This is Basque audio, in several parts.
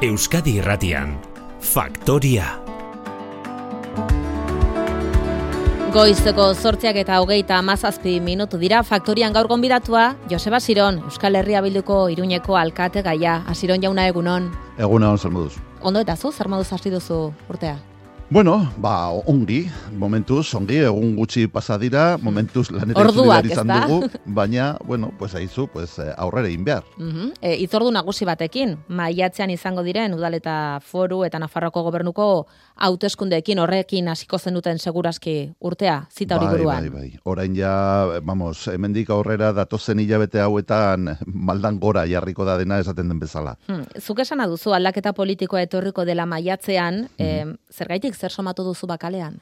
Euskadi Irratian, Faktoria. Goizeko 8:27 dira. Faktorian gaur gonbidatua Joseba Asiron, Euskal Herria Bilduko Iruñeko alkate gaia. Asiron jauna, egunon. Egunon, zer moduz. Ondo eta zu, zer moduz hasi duzu urtea? Bueno, ongi, momentuz, egun gutxi pasa dira, momentuz lanera itzuli behar izan dugu, baina, aizu, aurrera egin behar. Itzordu nagusi batekin, maiatzean izango diren udal eta foru eta Nafarroako gobernuko hauteskundeekin, horrekin hasiko zenuten segurazki urtea, zita hori buruan. Bai. Orain ja, hemendik aurrera datozen hilabete hauetan maldan gora jarriko da dena esaten den bezala. Zuk esana duzu aldaketa politikoa etorriko dela maiatzean, zergaitik zer somatu duzu bakalean?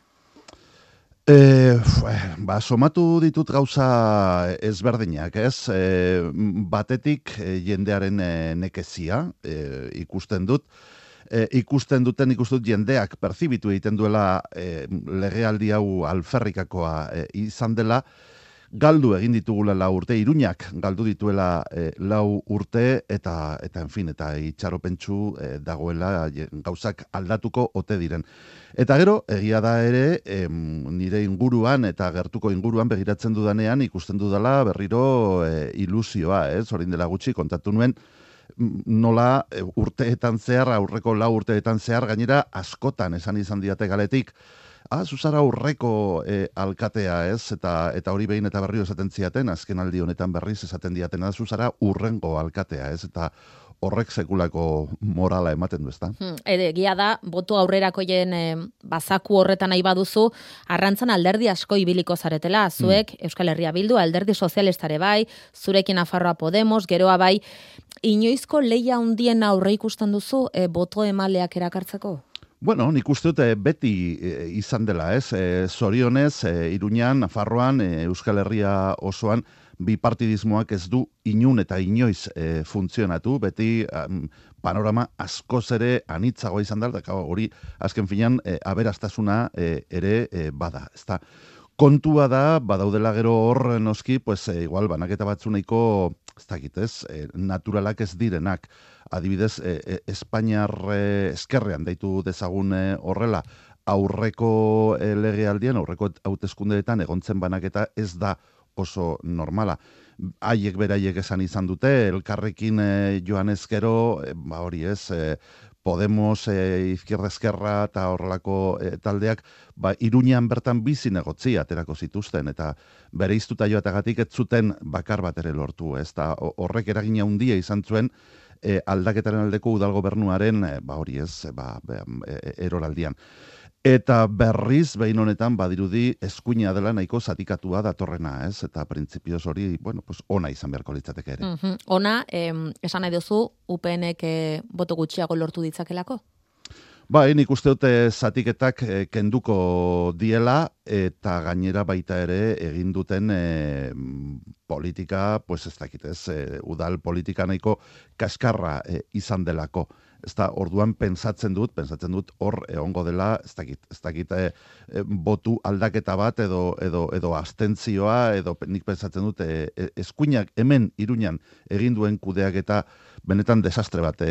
Somatu ditut gauza ezberdinak, ez? Batetik jendearen nekezia ikusten dut. Ikusten dut jendeak perzibitu egiten duela legealdi hau alferrikakoa izan dela, galdu egin ditugula 4 urte, Iruñak galdu dituela 4 urte, eta itxaropentsu dagoela gauzak aldatuko ote diren. Eta gero, egia da ere, nire inguruan eta gertuko inguruan begiratzen dudanean ikusten dudala berriro ilusioa, ez? Orain dela gutxi kontatu nuen, nola urteetan zehar, aurreko 4 urteetan zehar, gainera askotan esan izan diate galetik, zuzara aurreko alkatea, ez? Eta hori behin eta berriro esaten ziaten, azken aldi honetan berriz esaten diatena, zuzara urrengo alkatea, ez? Eta horrek sekulako morala ematen du, ezta? Egia da, boto aurrerakoien bazaku horretan nahi baduzu, arrantzan alderdi asko ibiliko zaretela, zuek Euskal Herria Bildu, alderdi sozialistare bai, zurekin Nafarroa Podemos, geroa bai, inoizko lehia handien aurre ikusten duzu boto emaleak erakartzeko? Bueno, nik uste dut beti izan dela, ez? Zorionez, Iruñan, Nafarroan, Euskal Herria osoan, bipartidismoak ez du inun eta inoiz funtzionatu, beti panorama askoz ere anitzagoa izan da, hori azken finean aberastasuna ere bada, ezta? Kontua da, badaudela gero hor noski, igual banaketa batzu nahiko, ez dakit, ez, naturalak ez direnak. Adibidez, Espainiar eskerrean deitu dezagun horrela, aurreko legealdian, aurreko hauteskundeetan egontzen banaketa ez da oso normala. Haiek beraiek esan izan dute, elkarrekin joan ezkero, hori ez, Podemos, Izquierda Esquerra eta horrelako taldeak, Iruñan bertan bizi negotzi aterako zituzten, eta bere iztuta joatagatik ez zuten bakar bat ere lortu, ez da horrek eragina handia izan zuen aldaketaren aldeko udal gobernuaren, hori ez, eroraldian. Eta berriz, behin honetan, badirudi, eskuina dela nahiko zatikatua datorrena, ez? Eta printzipioz hori, ona izan beharko litzateke ere. Ona, esan nahi duzu, UPNek boto gutxiago lortu ditzakelako? Nik uste dute zatiketak kenduko diela, eta gainera baita ere egin duten politika, ez dakit ez, udal politika nahiko kaskarra izan delako. Orduan pentsatzen dut hor egongo dela, ez dakit botu aldaketa bat edo abstentzioa, edo nik pentsatzen dut eskuinak hemen Iruñan egin duen kudeaketa benetan desastre bat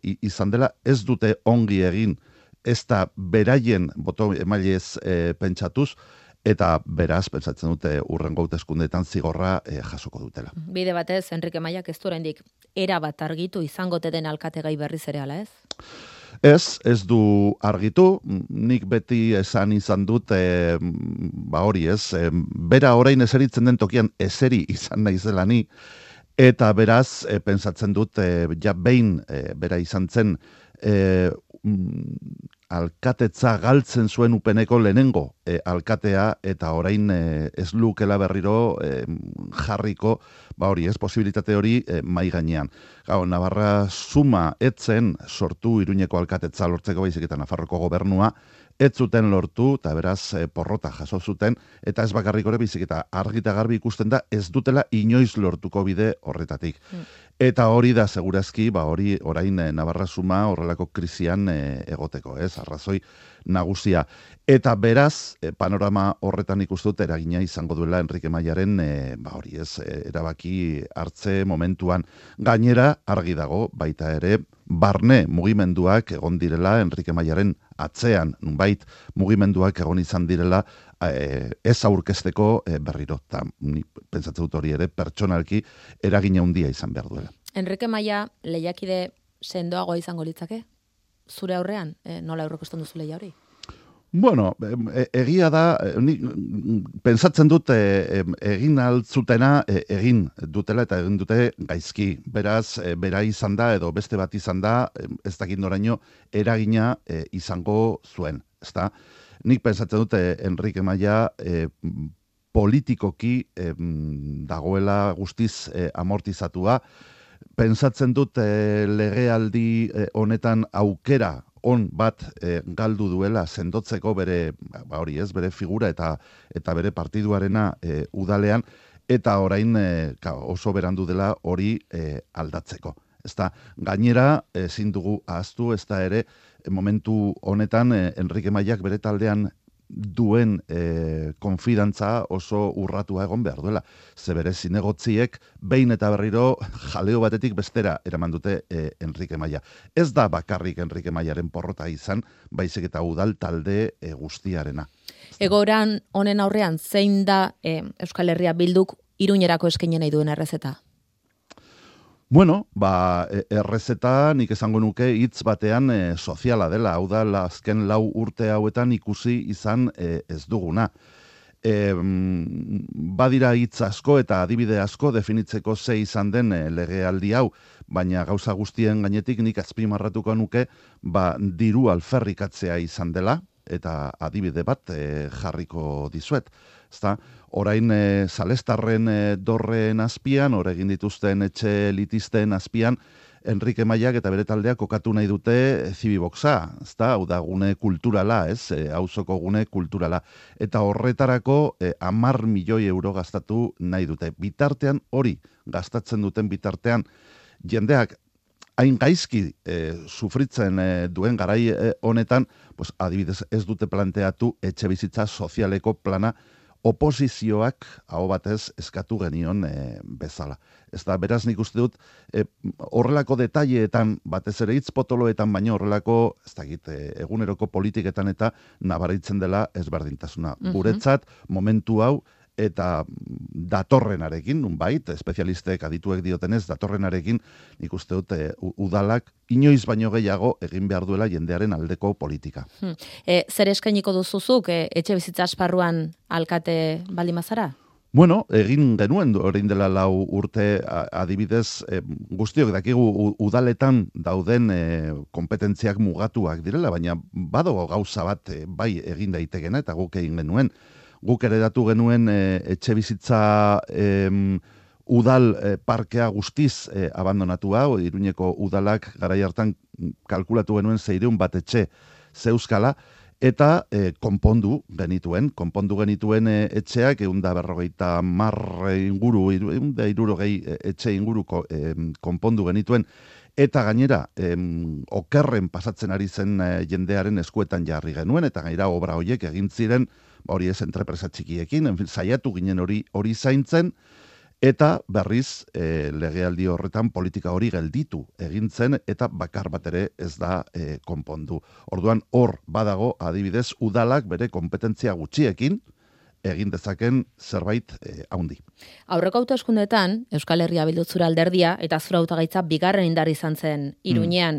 izan dela, ez dute ongi egin, ez da beraien boto emailez pentsatuz, eta beraz, pentsatzen dute urrengo hauteskundeetan zigorra jasoko dutela. Bide batez, Enrique Maiak ez du oraindik erabat argitu izango den alkategai berriz ere ala, ez? Ez du argitu, nik beti esan izan dut, hori ez, bera orain eseritzen den tokian eseri izan naizela ni, eta beraz, pentsatzen dut, behin bera izan zen, alkatetza galtzen zuen UPNeko lehenengo alkatea, eta orain ez lukela berriro jarriko, hori ez, posibilitate hori mai gainean. Navarra Suma etzen sortu Iruñeko alkatetza lortzeko, baizik eta Nafarroko gobernua, ez zuten lortu, eta beraz porrota jaso zuten, eta ez bakarrik hori baizik eta argita garbi ikusten da, ez dutela inoiz lortuko bide horretatik. Eta hori da segurazki, hori orain Navarra Suma horrelako krisian egoteko, ez, arrazoi nagusia. Eta beraz, panorama horretan ikustut eragina izango duela Enrique Maiaren, erabaki erabaki hartze momentuan. Gainera, argi dago, baita ere, barne mugimenduak egon direla Enrique Mayaren atzean, nunbait mugimenduak egon izan direla ez aurkezteko berriro. Ta, ni pentsatzen dut hori ere pertsonalki eragin handia izan behar duela. Enrique Maya lehiakide sendoago izango litzake? Zure aurrean, nola aurrekosten duzu lehia hori? Bueno, egia da, pentsatzen dut egin altzutena egin dutela eta egin dute gaizki. Beraz, bera izan da edo beste bat izan da, ez dakit noraino eragina izango zuen. Ezta? Nik pentsatzen dut Enrique Maya politikoki dagoela guztiz amortizatua. Pentsatzen dut legealdi honetan aukera on bat galdu duela sendotzeko bere bere figura eta bere partiduarena udalean eta orain oso berandu dela hori aldatzeko. Ezta gainera ezin dugu ahaztu ezta ere momentu honetan Enrique Mayak bere taldean duen konfidantza oso urratua egon behar duela. Ze bere zinegotziek behin eta berriro jaleo batetik bestera eraman dute Enrique Maya. Ez da bakarrik Enrique Mayaren porrota izan, baizik eta udal talde guztiarena. Egoran honen aurrean zein da Euskal Herria Bilduk Iruñerako eskaini nahi duen errezeta? Bueno, errezeta nik esango nuke hitz batean soziala dela, hau da azken 4 urte hauetan ikusi izan ez duguna. Badira hitz asko eta adibide asko definitzeko ze izan den legealdi hau, baina gauza guztien gainetik nik azpimarratuko nuke diru alferrikatzea izan dela, eta adibide bat jarriko dizuet. Ezta? Orain Salestarren dorren azpian, egin dituzten etxe elitisten azpian, Enrique Mayak eta bere taldeak kokatu nahi dute Zibiboxa, ezta? Hau da gune kulturala, auzoko gune kulturala. Eta horretarako 10 milioi euro gastatu nahi dute. Bitartean hori, gastatzen duten bitartean, jendeak hain gaizki sufritzen duen garai honetan, pues, adibidez ez dute planteatu etxe bizitza sozialeko plana oposizioak hau batez eskatu genion bezala. Ez da, beraz nik uste dut, horrelako detaileetan, batez ere hitz potoloetan, baino horrelako, ez dakit, eguneroko politiketan eta nabaritzen dela ezberdintasuna. Guretzat, momentu hau, eta datorrenarekin, nunbait, espezialistek adituek diotenez, datorrenarekin, nik uste dut, udalak inoiz baino gehiago egin behar duela jendearen aldeko politika. Zer eskainiko duzuzuk, etxe bizitza esparruan alkate baldimazara? Bueno, egin genuen orain dela 4 urte adibidez, guztiok dakigu udaletan dauden kompetentziak mugatuak direla, baina badago gauza bat bai egin daitekena eta guk egin genuen. Guk ere datu genuen etxe bizitza udal parkea guztiz abandonatua, Iruñeko udalak garai hartan kalkulatu genuen 600 bat etxe zeuzkala, eta konpondu genituen etxeak 150 inguru, 160 etxe inguru konpondu genituen, eta gainera okerren pasatzen ari zen jendearen eskuetan jarri genuen, eta gainera obra horiek egin ziren, hori ez entrepresa txikiekin, saiatu ginen hori zaintzen, eta berriz legealdi horretan politika hori gelditu egin zen, eta bakar bat ere ez da konpondu. Orduan hor badago adibidez udalak bere kompetentzia gutxiekin egin dezaken zerbait haundi. Aurreko hauteskundeetan Euskal Herria Bildu zure alderdia eta zure hautagaitza bigarren indar izan zen Iruñean,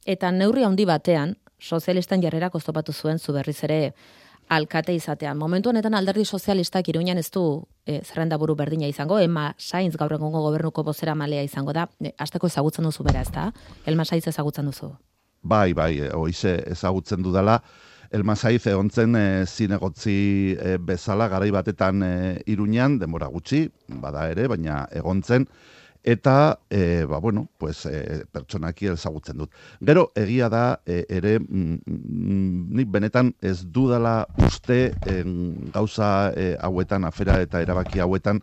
eta neurri handi batean sozialisten jarrerak oztopatu zuen zu berriz ere alkate izatean. Momentu honetan alderdi sozialistak Iruñean ez du zerrendaburu berdina izango, Elma Sainz gaur egungo gobernuko bozeramalea izango da. Hasteko ezagutzen duzu bera, ezta? Elma Sainz ezagutzen duzu. Bai, hoize ezagutzen dudala. Elma Sainz egontzen zinegotzi bezala garai batetan Iruñean, denbora gutxi, bada ere, baina egontzen. Eta, pertsonaki ezagutzen dut. Gero, egia da, ere, nik benetan ez dudala uste gauza hauetan, afera eta erabaki hauetan,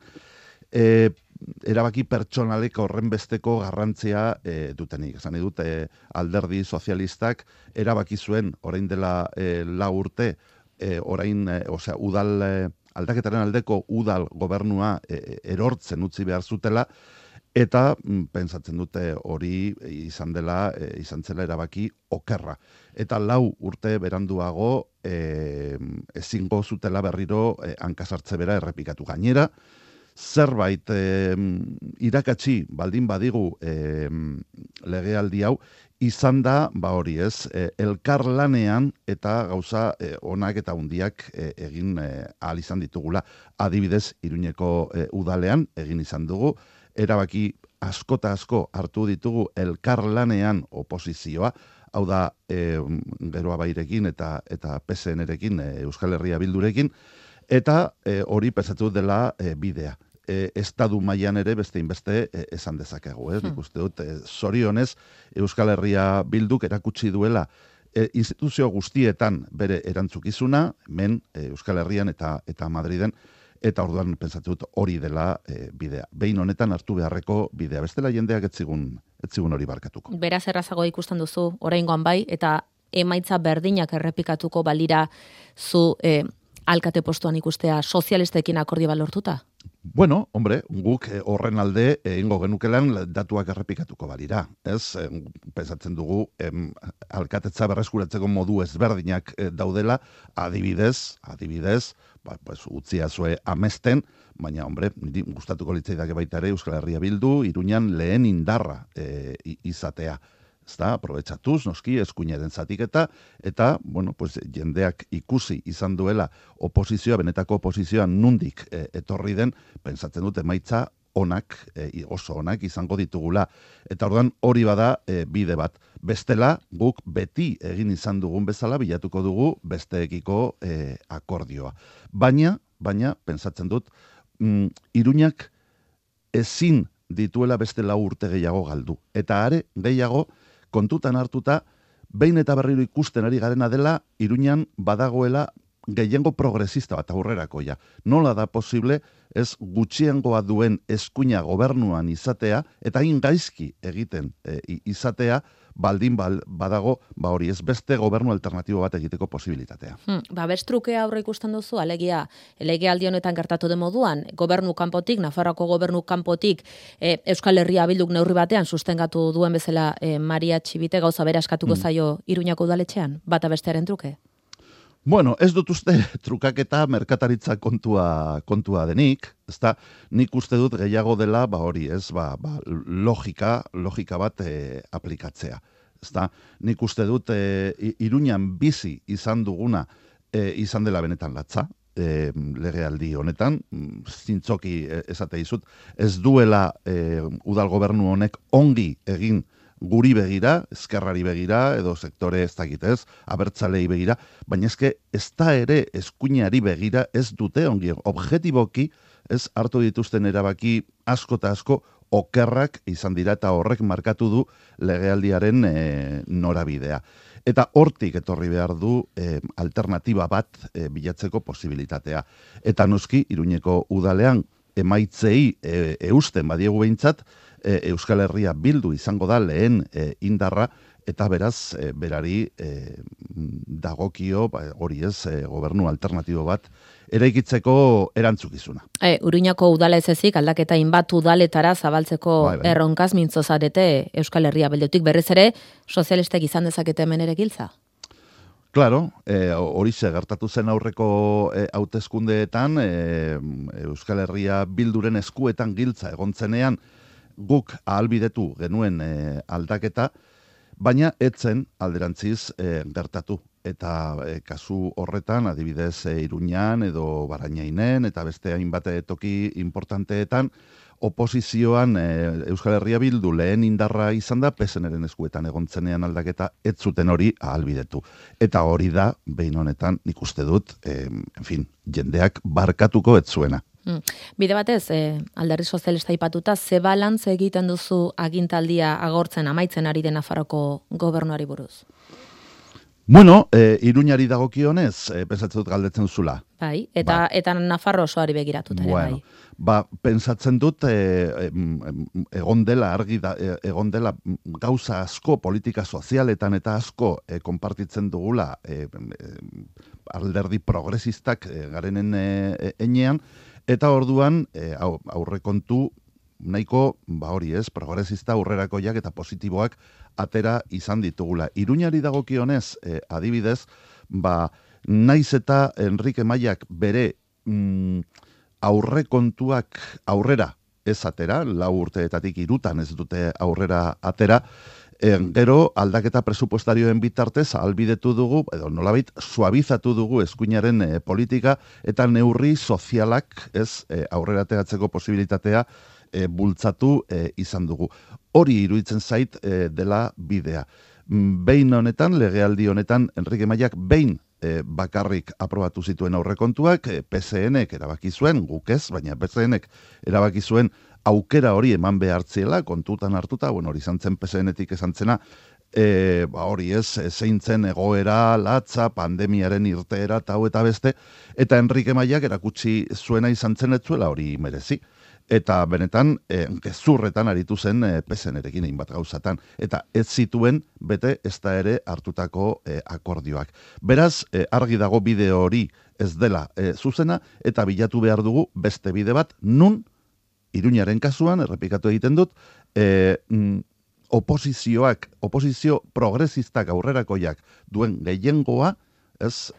erabaki pertsonalek horren besteko garrantzia dutenik. Esan dut, alderdi sozialistak erabaki zuen, orain dela 4 urte, udal aldaketaren aldeko udal gobernua erortzen utzi behar zutela, eta pentsatzen dute hori izan zela erabaki okerra. Eta 4 urte beranduago ezingo zutela berriro hankasartze bera errepikatu. Gainera, zerbait irakatsi baldin badigu legealdi hau, izan da, hori ez, elkarlanean eta gauza onak eta hundiak egin ahal izan ditugula. Adibidez, Iruñeko udalean egin izan dugu, erabaki asko eta asko hartu ditugu elkarlanean oposizioa, hau da Geroa Bairekin eta PSN-erekin, Euskal Herria Bildurekin, eta hori pentsatu dela bidea. Estadu mailan ere beste inbeste esan dezakegu. Nik uste dut, zorionez, Euskal Herria Bilduk erakutsi duela instituzio guztietan bere erantzukizuna, hemen Euskal Herrian eta Madriden, eta orduan pentsatu dut hori dela bidea. Behin honetan hartu beharreko bidea. Bestela jendeak ez zigun hori barkatuko. Beraz errazago ikusten duzu, oraingoan bai, eta emaitza berdinak errepikatuko balira zu alkate postuan ikustea sozialistekin akordio balortuta? Bueno, hombre, guk horren alde egingo genukelan datuak errepikatuko balira. Ez, pensatzen dugu alkatetza berreskuratzeko modu ezberdinak daudela, adibidez, utziazue amesten, baina, hombre, niri gustatuko litzaidake baita ere Euskal Herria Bildu, Iruñan lehen indarra izatea. Ezta, aprobetxatuz, noski, eskuinaren zatiketa, eta, bueno, pues, jendeak ikusi izan duela oposizioa, benetako oposizioa nundik etorri den, pentsatzen dut emaitza onak, oso onak izango ditugula. Eta orduan hori bada bide bat. Bestela, guk beti egin izan dugun bezala, bilatuko dugu besteekiko akordioa. Baina, pentsatzen dut, Iruñak ezin dituela beste 4 urte gehiago galdu. Eta are, gehiago, kontutan hartuta, behin eta berriro ikusten ari garena dela, Iruñan badagoela gehiengo progresista bat aurrerakoia. Nola da posible, ez gutxiengoa duen eskuina gobernuan izatea, eta hain gaizki egiten izatea, baldin badago, hori ez beste gobernu alternatibo bat egiteko posibilitatea. Bestrukea aurre ikusten duzu, alegia, legealdi honetan gertatu den moduan, gobernu kanpotik, Nafarroako gobernu kanpotik, Euskal Herria Bilduk neurri batean sustengatu duen bezala Maria Txibite gauza bera eskatuko zaio Iruñako udaletxean, bata bestearen truke? Bueno, ez dut uste trukaketa merkataritza kontua denik, ezta nik uste dut gehiago dela, hori ez, logika bat aplikatzea. Ezta nik uste dut Iruñan bizi izan duguna izan dela benetan latza, legealdi honetan, zintzoki esate dizut, ez duela udal gobernu honek ongi egin guri begira, ezkerrari begira, edo sektore ez dakitez, abertzalei begira, baina eske ez da ere eskuinari begira ez dute ongi. Objetiboki ez hartu dituzten erabaki asko eta asko okerrak izan dira eta horrek markatu du legealdiaren norabidea. Eta hortik etorri behar du alternatiba bat bilatzeko posibilitatea. Eta noski, Iruñeko udalean emaitzei eusten badiegu behintzat, Euskal Herria Bildu izango da lehen indarra, eta beraz, berari dagokio, hori ez, gobernu alternatibo bat, eraikitzeko erantzukizuna. Iruñako udala ez ezik, aldaketa inbat udaletara zabaltzeko erronkaz mintzozarete Euskal Herria Bildutik, berriz ere, sozialistek izan dezakete hemen ere giltza? Claro, hori gertatu zen aurreko hauteskundeetan, Euskal Herria Bilduren eskuetan giltza egontzenean, guk ahalbidetu genuen aldaketa, baina etzen alderantziz gertatu. Eta kasu horretan, adibidez Iruñan edo Barainainen eta beste hainbat toki importanteetan, oposizioan Euskal Herria Bildu lehen indarra izan da, PSN-ren eskuetan egontzenean aldaketa ez zuten hori ahalbidetu. Eta hori da, behin honetan nik uste dut, jendeak barkatuko ez zuena. Bide batez, Alderdi Sozialista aipatuta, ze balantz egiten duzu agintaldia agortzen amaitzen ari den Nafarroko gobernuari buruz? Bueno, Iruñari dagokionez, pentsatzen dut galdetzen zula. Bai, eta Nafarro osoari begiratuta ere, Bueno, bai. Pentsatzen dut egon dela egon dela gauza asko politika sozialetan eta asko konpartitzen dugula alderdi progresistak garenen enean, eta orduan aurrekontu nahiko, hori ez, progresista aurrerakoiak eta positiboak atera izan ditugula. Iruñari dagokionez, adibidez, naiz eta Enrique Maiak bere aurrekontuak aurrera ez atera, 4 urteetatik 3 ez dute aurrera atera, gero aldaketa presupuestarioen bitartez ahalbidetu dugu, edo nolabait suabizatu dugu eskuinaren politika eta neurri sozialak ez aurrera ateratzeko posibilitatea bultzatu izan dugu. Hori iruditzen zait dela bidea. Behin honetan, legealdi honetan, Enrique Maiak behin bakarrik aprobatu zituen aurrekontuak, PSN-ek erabaki zuen, guk ez, baina PSN-ek erabaki zuen aukera hori eman behartziela, kontutan hartuta, hori izan zen PSN-etik esan zena, hori ez, zeintzen egoera, latza, pandemiaren irteera, eta beste, eta Enrique Maiak erakutsi zuena izan zen etzuela hori merezi. Eta benetan, gezurretan aritu zen PSN-erekin egin bat gauzatan. Eta ez zituen bete ez da ere hartutako akordioak. Beraz, argi dago bideo hori ez dela zuzena, eta bilatu behar dugu beste bide bat, nun, Iruñaren kasuan, errepikatu egiten dut, oposizio progresistak aurrerakoiak duen gehiengoa, ez,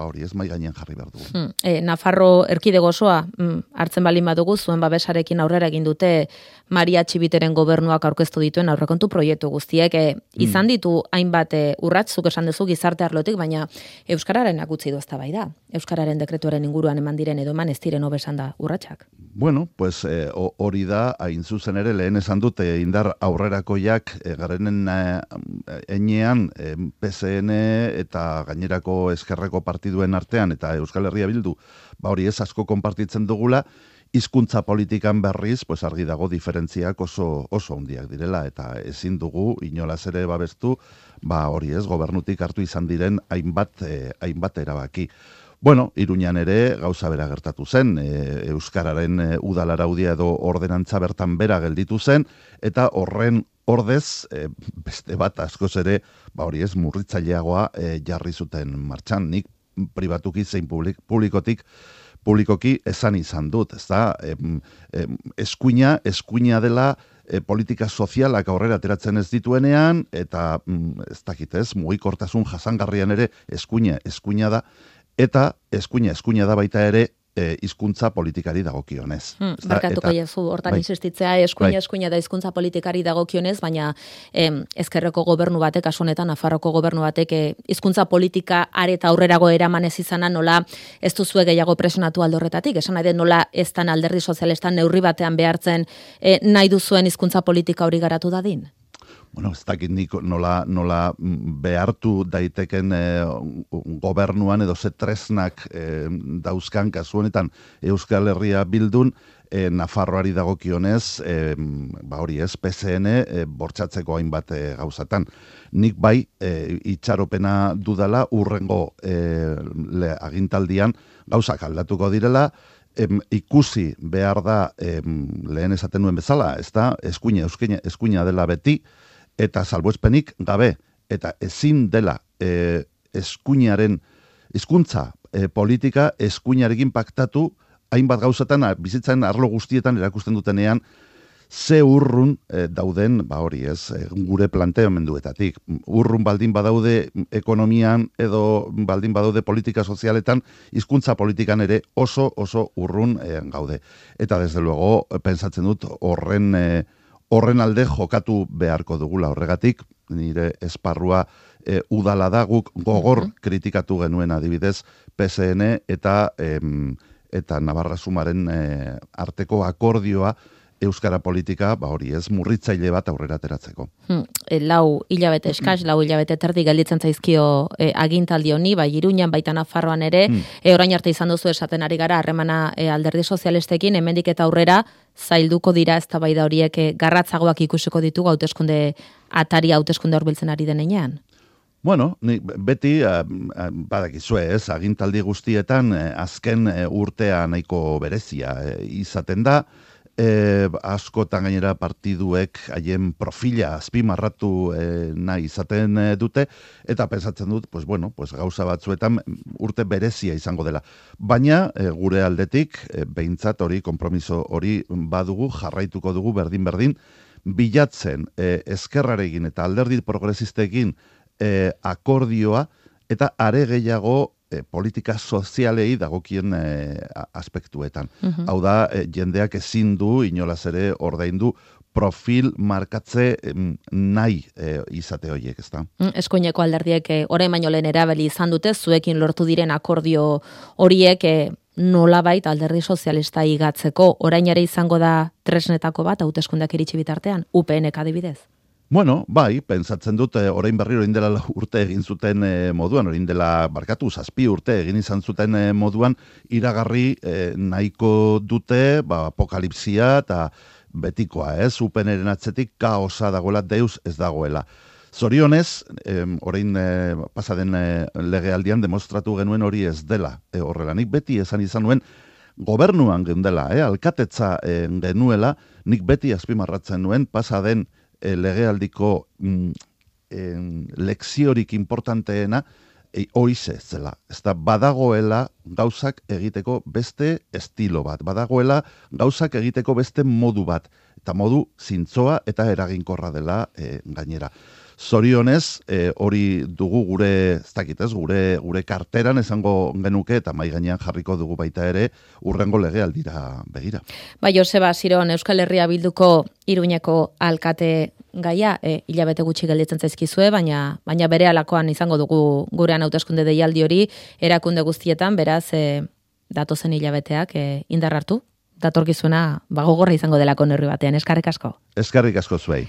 hori ez mai gainean jarri behar dugu. Nafarro erkidego osoa hartzen balin badugu, zuen babesarekin aurrera egin dute Maria Txibiteren gobernuak aurkeztu dituen aurrekontu proiektu guztiek. Izan ditu hainbat urratszuk esan duzu gizarte arlotik, baina Euskararen utzi du eztabaida. Euskararen dekretuaren inguruan eman diren edo eman ez diren hobesan da urratsak. Bueno, pues hori da, hain zuzen ere, lehen esan dute indar aurrerakoiak garenen enean PSN eta gainerako eskerreko partiduen artean eta Euskal Herria Bildu, hori ez asko konpartitzen dugula, hizkuntza politikan berriz, pues argi dago diferentziak oso handiak direla, eta ezin dugu inolaz ere babestu, hori ez, gobernutik hartu izan diren hainbat erabaki. Bueno, Iruñan ere gauza bera gertatu zen, Euskararen udalaraudia edo ordenantza bertan bera gelditu zen, eta horren ordez, beste bat askoz ere, hori ez, murritzaileagoa jarri zuten martxan. Nik pribatuki zein publikoki esan izan dut, ez da, eskuina dela politika sozialak aurrera ateratzen ez dituenean, eta ez dakit ez, mugikortasun jasangarrian ere eskuina da, eta eskuina da baita ere hizkuntza politikari dagokionez. Barkatuko jazu, hortan insistitzea, eskuina da hizkuntza politikari dagokionez, baina ezkerreko gobernu batek, kasu honetan Nafarroko gobernu batek hizkuntza politika areta aurrerago eraman ez izana, nola ez duzue gehiago presionatu alde horretatik, esan nahi den nola ez dan alderdi sozialistan neurri batean behartzen nahi duzuen hizkuntza politika hori garatu dadin? Bueno, ez dakit nik nola behartu daiteken gobernuan edo tresnak dauzkan kasu honetan Euskal Herria Bildun, Nafarroari dagokionez, hori ez, PSN bortxatzeko hainbat gauzatan. Nik bai itxaropena dudala urrengo agintaldian gauzak aldatuko direla, ikusi behar da lehen esaten nuen bezala, ez da, eskuina dela beti, eta salbuespenik gabe, eta ezin dela eskuinaren hizkuntza politika eskuinarekin paktatu hainbat gauzatan bizitzaren arlo guztietan erakusten dutenean ze urrun dauden, hori ez, gure planteamenduetatik. Urrun baldin badaude ekonomian edo baldin badaude politika sozialetan, hizkuntza politikan ere oso urrun gaude. Eta desde luego, pensatzen dut horren alde jokatu beharko dugula. Horregatik, nire esparrua udala da, guk gogor kritikatu genuen adibidez PSN eta Navarra Sumaren arteko akordioa euskara politika, hori ez, murritzaile bat aurrera ateratzeko. 4 hilabete eskaz, 4 hilabete terdi gelditzen zaizkio agintaldi honi, bai Iruñan, baita Nafarroan ere, orain arte izan duzu esaten ari gara, harremana alderdi sozialistekin, hemendik eta aurrera, zailduko dira eztabaida horiek garratzagoak ikusiko ditugu hauteskunde hurbiltzen ari denean. Bueno, beti, badakizue ez, agintaldi guztietan azken urtea nahiko berezia izaten da, askotan gainera partiduek haien profila azpimarratu nahi izaten dute, eta pensatzen dut, gauza batzuetan urte berezia izango dela. Baina, gure aldetik, behintzat hori, konpromiso hori badugu, jarraituko dugu berdin-berdin, bilatzen ezkerrarekin eta alderdi progresistekin akordioa eta are gehiago politika sozialei dagokien aspektuetan. Hau da, jendeak ezin du, inolaz ere ordaindu, profil markatze nahi izate horiek, ezta? Eskuineko alderdiek orain baino lehen erabili izan dute, zuekin lortu diren akordio horiek nolabait alderdi sozialista igatzeko, orain ere izango da tresnetako bat, hauteskundeak iritsi bitartean, UPNek adibidez? Bueno, bai, pentsatzen dut, orain berriro orain dela urte egin zuten moduan, orain dela, barkatu, 7 urte egin izan zuten moduan, iragarri nahiko dute, apokalipsia eta betikoa, ez? UPNren atzetik kaosa dagoela, deus ez dagoela. Zorionez, orain pasaden legealdian demostratu genuen hori ez dela horrela. Nik beti esan izan nuen, gobernuan geundela, alkatetza genuela, nik beti azpimarratzen nuen pasaden legealdiko lekziorik importanteena hoize zela. Ez da, badagoela gauzak egiteko beste estilo bat, badagoela gauzak egiteko beste modu bat, eta modu zintzoa eta eraginkorra dela gainera. Zorionez, hori dugu gure, ez dakit ez, gure karteran esango genuke eta mai gainean jarriko dugu baita ere urrengo legealdira begira. Bai, Joseba Siron, Euskal Herria Bilduko Iruñeko alkate gaia, hilabete gutxi gelditzen zaizkizue, baina berehalakoan izango dugu gurean hauteskunde deialdi hori erakunde guztietan, beraz datozen hilabeteak indar hartu, datorkizuna gogorra izango delako neurri batean. Eskerrik asko. Eskerrik asko zuei.